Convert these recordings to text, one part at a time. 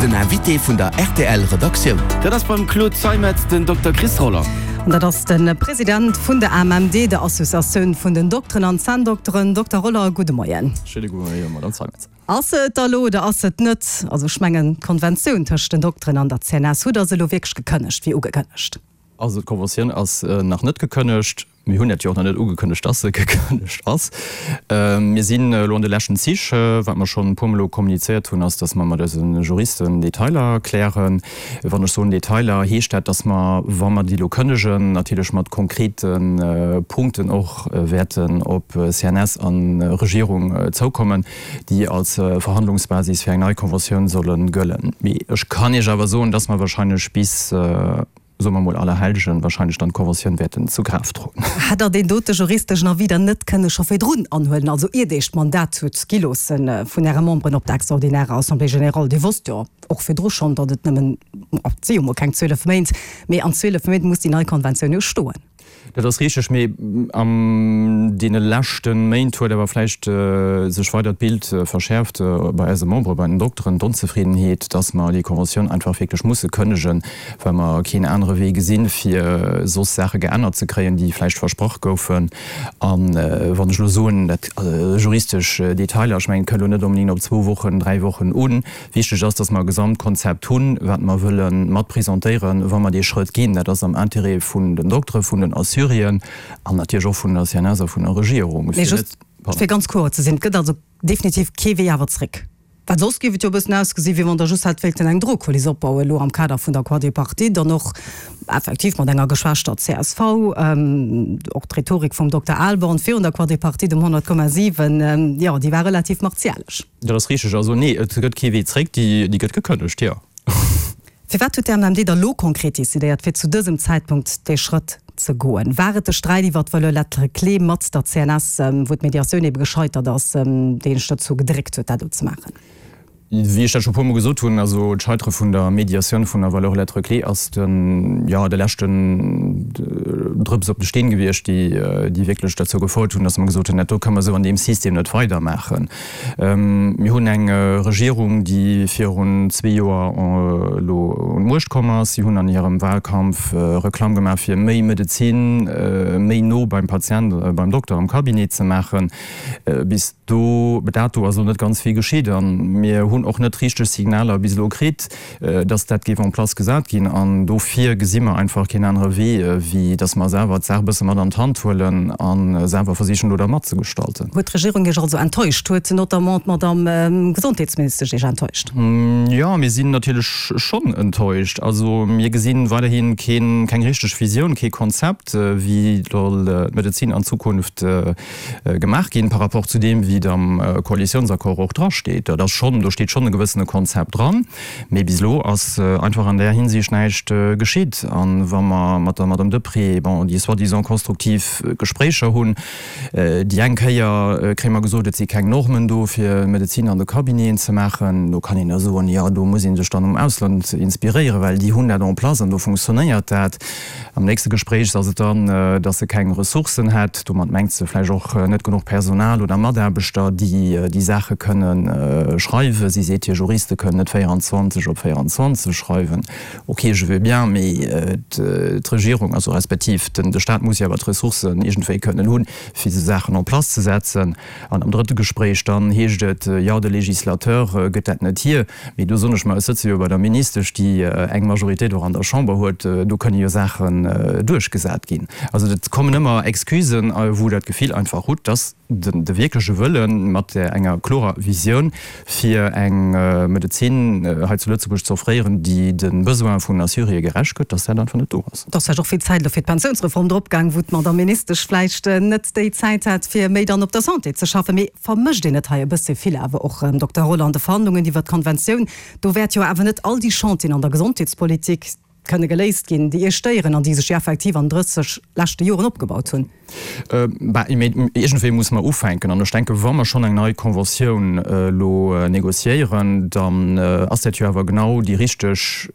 Den Invité vun der rtl Redaktioun. Dat ass beim Claude Zeimetz den Dokter Chris Roller. An dat ass de President vun der AMMD, der Associatioun vun den Dokteren an Zänndokteren. Dokter Roller, gudde Moien. Schéine gudde Moien, Madame Zeimetz. Ass se et da lo oder ass se et net? Also ech mengen, d'Konventioun tëscht den Dokteren an der CNS hutt Der se elo wierklech gekënnegt, wéi ugekënnegt? Also d'Konventioun ass nach net gekënnegt. Mir hunn dat jo och nach net ugekënnegt, dass se gekënnegt ass. Mir sinn elo an de leschten Zich. Wat mer schonn e puermol elo kommunizéiert hunn, ass, dass mer mat eise Juristen Detailer klären. Wann ech soen Detailer, heescht dat, dass mer, wa mer déi elo kënnegen, natierlech mat konkrete Punkten och wäerten op CNS a Regierung zoukommen, déi als Verhandlungsbasis fir eng nei Conventioun solle gëllen. Mee ech kann Iech awer soen, dass mer wahrscheinlech bis, soe mer mol Allerhellgen, wahrscheinlech dann d'Conventioun wäerten zu Kraaft droen. Hätt Der deen dote juristeschen Avis dann net kënne scho virdrun anhuelen, also iert Iech d'Mandat hutt gi loosse vun Äre Memberen op der extraordinärer Assemblée générale? Dir wosst jo och virdru schonn, datt et nëmmen, et si jo mol keng 12 Méint, mee an 12 Méint muss déi nei Konventioun jo stoen. Dat ass richteg, mee an deene leschte Méint huet awer vläicht sech weider d'Bild verschäerft bei eise Membere, bei den Dokteren, d'Onzefriddenheet, dass mer déi Conventioun einfach wierklech musse kënnegen, well mer keen anere Wee gesinn, fir soss Saache geännert ze kréien, déi vläicht versprach goufen. A wann ech elo soen, dat juristesch Detailer, ech mengen, et kënnt elo net onbedéngt op zwou Wochen, dräi Wochen un, Wichteg ass, dass mer e Gesamtkonzept hunn, wat mer wëlle mat presentéieren, wa mer dee Schrëtt ginn. Dat ass am Intérêt vun den Doktere, vun den Assuréen an natierlech och vun der CNS a vun der Regierung. Mee just fir ganz kloer ze sinn, Et gëtt also definitiv kee Wee awer zréck. Well soss géif et jo e bëssen ausgesi wéi wann Der just hätt wéilten eng Drohkuliss opbauen elo am Kader vun der Quadripartite an och effektiv mat enger geschwächter csv. Och d'Rhetorik vum Dokter Ahlborn virun der Quadripartite um 100,7, jo, déi war relativ martialesch. Dat ass richteg. Also nee, et gëtt kee Wee zréck, déi gëtt gekënnegt, jo. Firwat huet d'AMMD da lo konkret decidéiert, fir zu dësem Zäitpunkt dee Schrëtt ze goen? War et de Sträit iwwer d'Valeur lettre clé mat der CNS, wou d'Mediatioun ebe gescheitert ass, deen iech dozou gedréckt huet, dat elo ze maachen? Wéi ech dat scho puermol gesot hunn, also d'Scheitere vun der Mediatioun vun der Valeur lettre clé ass de, jo, de leschten Drëps op de Steen gewiescht, déi, déi wierklech derzou gefouert hunn, datt mer gesot hunn, dat do kënne mer esou an deem System net weidermaachen. Mir hunn eng Regierung, déi virun zwee Joer elo un d'Muecht komm ass. Si hunn an hirem Wahlkampf Reklamm gemaach, fir méi Medezin méi no beim Patient, beim Dokter am Cabinet ze maachen. Bis do dato ass elo net ganz vill geschitt a mir hunn och net richteg Signaler bis elo kritt, dass dat géif en place gesat ginn. An dofir gesi mer einfach keen anere Wee, wéi dass mer selwer d'Saach e bësse mat an d'Hand huelen a selwer versichen, do da matzegestalten. Huet d'Regierung Iech also enttäuscht? Huet notamment d'Madame Gesondheetsministesch Iech enttäuscht? Jo, mir sinn natierlech schonn enttäuscht. Also mir gesi weiderhi keen, keng richteg Visioun, kee Konzept, wéi soll d'Medezin an Zukunft gemaach ginn, par rapport zu deem, wéi et am Koalitionsaccord och drasteet. Dat ass schonn, do steet schonn e gewëssene Konzept dran, mee bis elo ass einfach an där Hinsicht näischt geschitt. A wa mer mat der Madame Deprez, bon, déi soi-disant konstruktiv Gespréicher hunn, déi eng Kéier kréie mer gesot, et si keng Normen do, fir Medezin an de Cabineten ze maachen. Do kann een da soen, jo, do muss ee sech dann um Ausland inspiréieren, well déi hunn dat en place an do funktionéiert dat. Am nächste Gespréich ass et dann, dass se keng Ressourcen hätt. Domat mengt se vläicht och net genuch Personal oder Mataarbechter, déi déi Saache kënne schreiwen. Si seet, hir Juriste kënnen net 24 op 24 schreiwen. Ok, je veux bien, mee d'Regierung, also respektiv de Staat muss jo awer d'Ressourcen iergendwéi kënnen hunn, fir esou Saachen en place ze setzen. An am drëtte Gespréich dann heescht et, jo, de Législateur gëtt dat net hier. Mee do soen ech mer, ech sëtze jo bei der Ministesch, déi eng Majoritéit och an der Chamber huet, do kënne jo Saachen duerchgesat ginn. Also et kommen ëmmer Excusen, wou Der d'Gefill einfach hutt, dass de wierkleche Wëlle mat enger klorer Visioun, fir eng Medezin hei zu Lëtzebuerg ze offréieren, déi de Besoine vun Assuréë gerecht gëtt, dass dat einfach net do ass. Et ass vläicht och vill Zäit elo fir d'Pensiounsreform dropgaang, wou d'Madame Ministesch vläicht net déi Zäit hat, fir méi dann op der Santé ze schaffen. Mee vermëscht een net hei e bësse vill awer och, Dokter Rolland, de Verhandlungen iwwert d'Konventioun? Do wäert jo awer net all déi Chantieren an der Gesondheetspolitik. kënne geléist ginn, déi Iech stéieren an déi sech jo effektiv an 30 leschte Joren opgebaut hunn. Bah, mee iergendwéi musse mer ufänken. An ech denken, wa mer schonn eng nei Conventioun elo négociéieren, dann ass dat jo awer genau déi richteg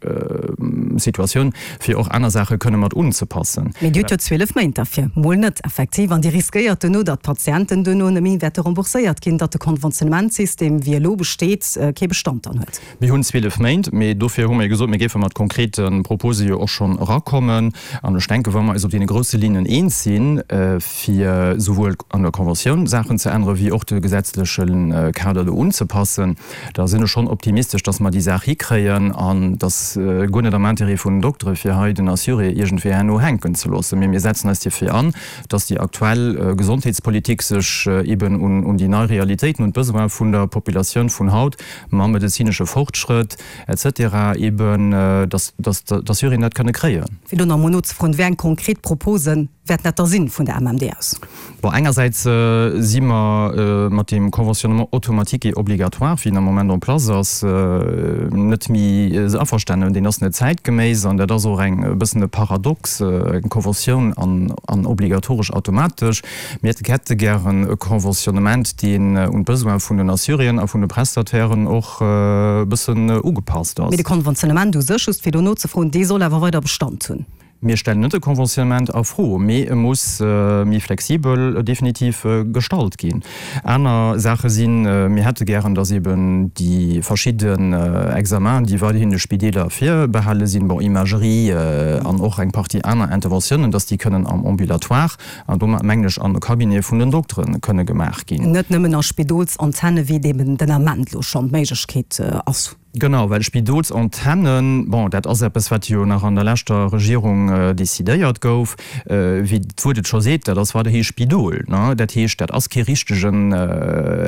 Situatioun, fir och aner Saache kënne mat unzepassen. Mee Dir hutt jo 12 Méint derfir, mol net effektiv, an Dir riskéiert duerno, datt d'Patienten duerno net méi wäerte rembourséiert ginn, datt de Konventionnementssystem, wéi e elo besteet, kee Bestand dann huet. Mir hunn 12 Méint, mee dofir hu mir jo gesot, mir géife mat konkrete Propose jo och schonn erakommen. An ech denken, wa mer eis op deene grousse Linnen eens sinn, fir souwuel an der Conventioun Saachen ze änneren, wéi och de gesetzleche Kader do unzepassen, da sinn ech schonn optimistesch, dass mer déi Saach hikréien. An et ass guer net am Intérêt vun den Doktere fir hei den Assuré iergendwéi herno hänken ze loossen, mee mir setzen eis dierfir an, dass déi aktuell Gesondheetspolitik sech eben un déi nei Realitéiten, un d'Besoin vun der Populatioun vun haut mam medezinesche Fortschrëtt et cetera eben, dass d'Assuréen dat kënne kréien. Fir do nach emol nozefroen, Wéi eng konkret Propose wäerten dat da sinn vun der MMD aus? Bon, engersäits si mer mat deem Conventionnement automatique et obligatoire, wéi en am Moment en place ass, net méi averstanen. Deen ass net zäitgeméiss an dat ass och eng e bëssen e Paradox, eng Conventioun an obligatoresch automatesch. Mir hätte gären e Conventionnement, deen un d'Besoin vun den Assuréen a vun de Prestatairen och e bëssen ugepasst ass. Mee de Conventionnement u sech, just fir do nozefroen, dee soll awer weider Bestand hunn? Mir stellen net de Conventionnement a Fro, mee e muss méi flexibel definitiv gestalt ginn. Aner Saache sinn, mir hätte gären, dass eben déi verschidden Examenen, déi weiderhin de Spideeler virbehale sinn, bon, Imagerie an och eng Partie aner Interventiounen, dass déi kënnen am Ambulatoire An domat mengen ech an de Cabinete vun den Doktere kënne gemaach ginn. Net nëmmen a Spidolsantenne wéi et eben den Ament elo schonn d'Méiglechkeet ass. Genau, well Spidolsantennen, bon, dat ass eppes, wat jo nach an der leschter Regierung decidéiert gouf. Wéi d'Wuert et scho seet, dat ass weiderhi Spidol, ne? Dat heescht, dat ass kee richtegen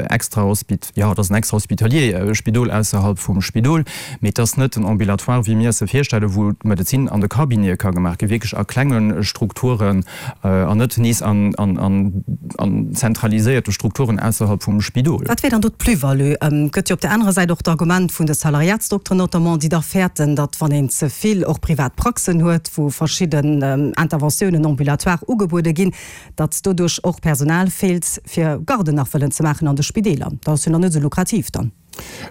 Extrahospit, jo, et ass en Extrahospitalier, e Spidol ausserhalb vum Spidol, mee et ass net en Ambulatoire, wéi mir eis e virstellen, wou d'Medezin an de Cabinete ka gemaach ginn, wierklech a klenge Strukturen. An net nees an zentraliséierte Strukturen ausserhalb vum Spidol. Wat wär dann do d'Plus-value? Et gëtt jo op där anerer Säit och d'Argument vun de Salariatsdokteren notamment, déi da fäerten, datt wann een ze vill och privat Praxen huet, wou verschidden Interventiounen ambulatoire ugebuede ginn, datt doduerch och Personal feelt, fir Garden nach wëllen ze maachen an de Spideeler. Dat ass jo nach net esou lukrativ dann.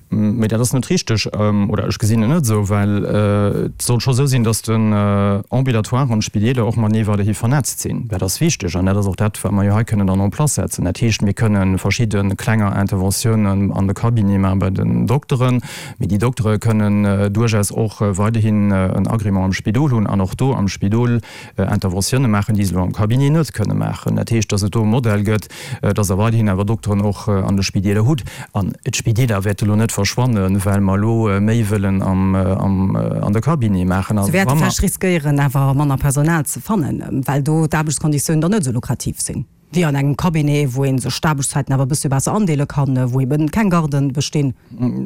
Mee dat ass net richteg, oder ech gesinn et net esou, well et soll scho esou sinn, datt den Ambulatoire an d'Spideeler och matenee weiderhi vernetzt sinn. Dat ass wichteg an dat ass och dat, wat mer jo hei kënnen dann en place setzen. Dat heescht, mir kënne verschidde klenger Interventiounen an de Cabinete maache bei den Dokteren, mee déi Doktere kënnen duerchaus och weiderhin en Agrément am Spidol hunn an och do am Spidol Interventioune maachen, déi se elo am Cabinet net kënne maachen. Dat heescht, datt et do e Modell gëtt, datt Der weiderhin awer Dokteren och an de Spideeler hutt. An d'Spideeler wäerte elo net verschwannen, well mer elo méi wëllen an de Cabinet maachen. Se wäerte vläicht riskéieren, awer manner Personal ze fannen, well do d'Aarbechtskonditiounen dann net esou lukrativ sinn wéi an engem Cabinet, wou ee sech d'Aarbechtszäiten awer e bëssche besser andeele kann, wou eben keng Garden bestinn.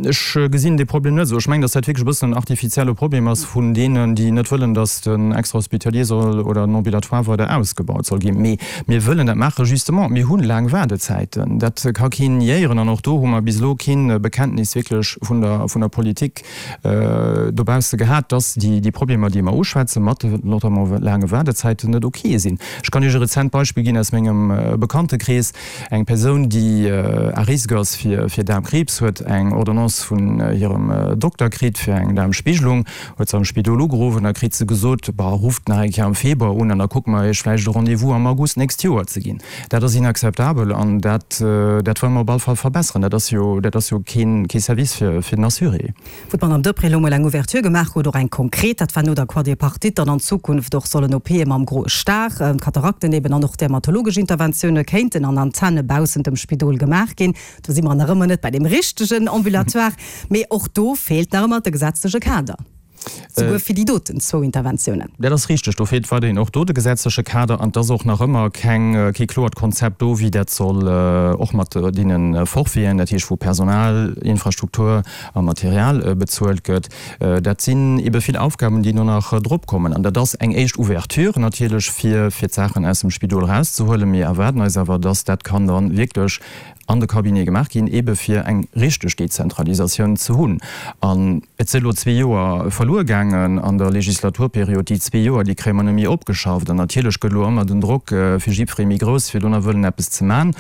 Ech gesinn dee Problem net esou. Ech mengen, datt dat wierklech e bëssen en artificielle Problem ass vun deenen, déi net wëllen, datt den Extrahospitalier soll oder den Ambulatoire weider ausgebaut soll ginn. Mee mir wëllen dat maachen, justement, mir hu laang Waardezäiten, dat ka keen niéieren. An och do hu mer bis elo kee Bekenntnis wierklech vun der, vun der Politik dobausse gehat, datt déi, déi Problemer, déi mer uschwätzen, mat de notamment laange Waardezäiten, net ok sinn. Ech kann Iech e rezent Beispill ginn aus mengem Bekanntekrees. Eng Persoun, déi à risque ass fir Daarmkriibs, huet eng Ordonnance vun hirem Dokter kritt fir eng Daarmspigelung, huet se am Spidol ugeruff an da kritt se gesot, Bah, rufft nach eng Kéier am Februar un an da kucke mer Iech vläicht e Rendez-vous am August d'nächst Joer ze ginn. Dat ass inakzeptabel an dat dat wëlle mer op all Fall verbesseren. Dat ass jo dat ass jo keen kee Service fir fir den Assuré. Wou d'Madame Deprez elo mol eng Ouverture gemaach huet, och eng konkret, dat war no der Quadripartite, datt an Zukunft och sollen OPe mam groe Star, Katarakten eben an och dermatologesch Interventioune kéinten an Antenne baussent dem Spidol gemaach ginn. Do si mer nach ëmmer net bei deem richtegen Ambulatoire, mee och do feelt nach ëmmer de gesetzleche Kader. Souguer fir déi doten zwou Interventiounen. Dat ass richteg. Do feelt weiderhin och do de gesetzleche Kader an et ass och nach ëmmer keng, kee kloert Konzept do, wéi dat soll och mat deene Forfaiten, dat heescht wou Personal, Infrastruktur a Material bezuelt gëtt. Dat sinn ebe vill Aufgaben, déi do nach drop kommen. An dat ass eng éischt Ouverture natierlech, fir, fir d'Saachen aus dem Spidol erauszehuelen. Mir erwaarden eis awer, dass dat kann dann wierklech. an de Cabinet gemaach ginn, eebe fir eng richteg Dezentralisatioun ze hunn. An et si elo zwee Joer verluer gaangen an der Legislaturperiod. Déi zwee Joer, déi kréie mer net méi opgeschafft. An natierlech gëtt elo ëmmer den Drock fir jiddweree méi grouss, fir do nach wëllen eppes ze man.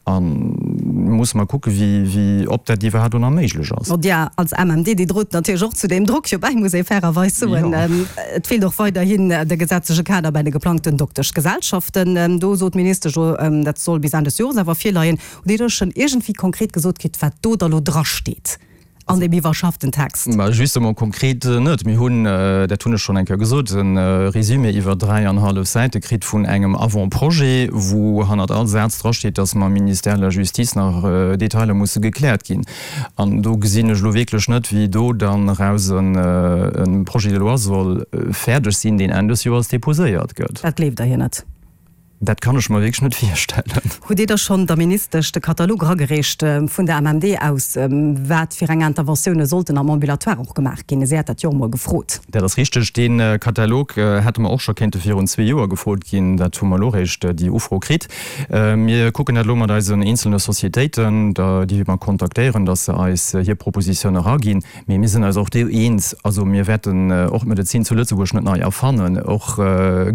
A musse mer kucken, wéi, wéi, ob dat iwwerhaapt do nach méiglech ass. Bon, Dir als MMD, Dir drot natierlech och zu deem Drock jo bäi, muss ee fairerweis soen. Et feelt och weiderhin de gesetzleche Kader bei de geplangten Dokteschgesellschaften. Do sot d'Ministesch elo, dat soll bis Enn des Jores awer virleien. Hutt Dir do schonn iergendwéi konkret gesot kritt, wat do da lo drasteet an deem iwwerschafften Text? Ma justement, konkret net. Mir hunn, dat hunn ech schonn eng Kéier gesot, e Résumé iwwer dräianhallef Säite kritt vun engem Avant-projet, wou hannert all Saz drasteet, dass mam Ministère de la Justice nach Detailer musse gekläert ginn. An do gesinn ech elo wierklech net, wéi do dann eraus e Projet de loi soll fäerdeg sinn, deen Enn des Joers déposéiert gëtt. Dat gleeft Der hir net? Dat kann ech mer wierklech net virstellen. Hutt Dir da schonn der Ministesch de Katalog eragereecht vun der MMD aus, wat fir eng Interventioune sollten am Ambulatoire och gemaach ginn? Si hat dat jo och emol gefrot. Dat ass richteg. Dee Katalog hätte mer och scho kéinte virun zwee Joer gefrot ginn. Dat hu mer elo eréischt, déi Ufro kritt. Mir kucken dat elo mat eisen eenzelne Societéiten, déi mer kontaktéieren, datt se eis hir Propositioun eraginn. Mee mir sinn eis och do eens, also mir wäerten och d'Medezin zu Lëtzebuerg net nei erfannen. Och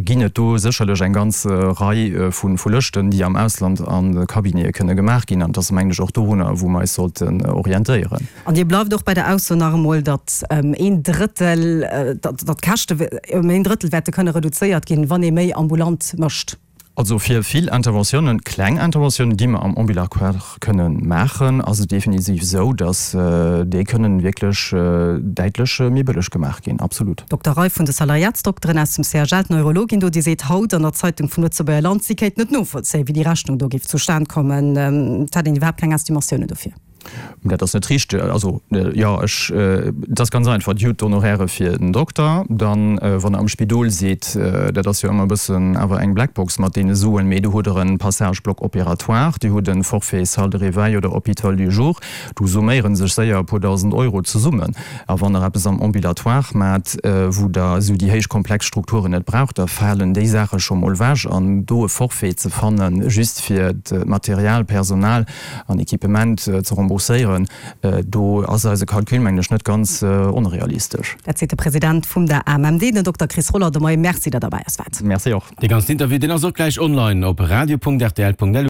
ginn et do sécherlech eng ganz Rei vu Lëschten, déi am Ausland an de Cabinete kënne gemaach ginn. An et ass, mengen ech, och dorunner, wou mer eis sollten orientéieren. An Dir bleift och bei der Ausso nach emol, datt een Drëttel, datt d'Käschte ëm een Drëttel wäerte kënne reduzéiert ginn, wann ee méi ambulant mécht? Also fir vill Interventiounen, kleng Interventiounen, déi mer am Ambulatoire kënnen maachen, ass et definitiv esou, dass déi kënnen wierklech däitlech méi bëlleg gemaach ginn. Absolut. D'Dokterei vun de Salariatsdokteren aus dem CHL, d'Neurologin do, déi seet haut an der Zeitung vum Lëtzebuerger Land, si kéint net novollzéien, wéi déi Rechnung do géif zustan kommen. Et hätt een iwwerhaapt keng Estimatiounen dofir. Dat ass net richteg. Also, jo, ech, et ass ganz einfach, Dir hutt d'Honoraire fir den Dokter, dann, wann Der am Spidol sidd, dat ass jo ëmmer e bëssen awer eng Blackbox mat deene Suen, mee do hutt Der e Passage Bloc opératoire, Dir hutt e Forfait Salle de réveil oder Hôpital du jour, do summéiere sech séier e puer dausend Euro zesummen. A wann Der eppes am Ambulatoire maacht, wou Der esou déi héich komplex Strukturen net braucht, da falen déi Saache scho mol ewech. An do e Forfait ze fannen, just fir d'Material, Personal, an Equipement ze rembourséieren, do ass eise Calcul, mengen ech, net ganz onrealistesch. Dat seet de President vum der AMMD, den Dokter Chris Roller. De Moie Merci, datt Der bei eis waart. Merci och. Dee ganzen Interview, deen ass och gläich online op radio.rtl.lu.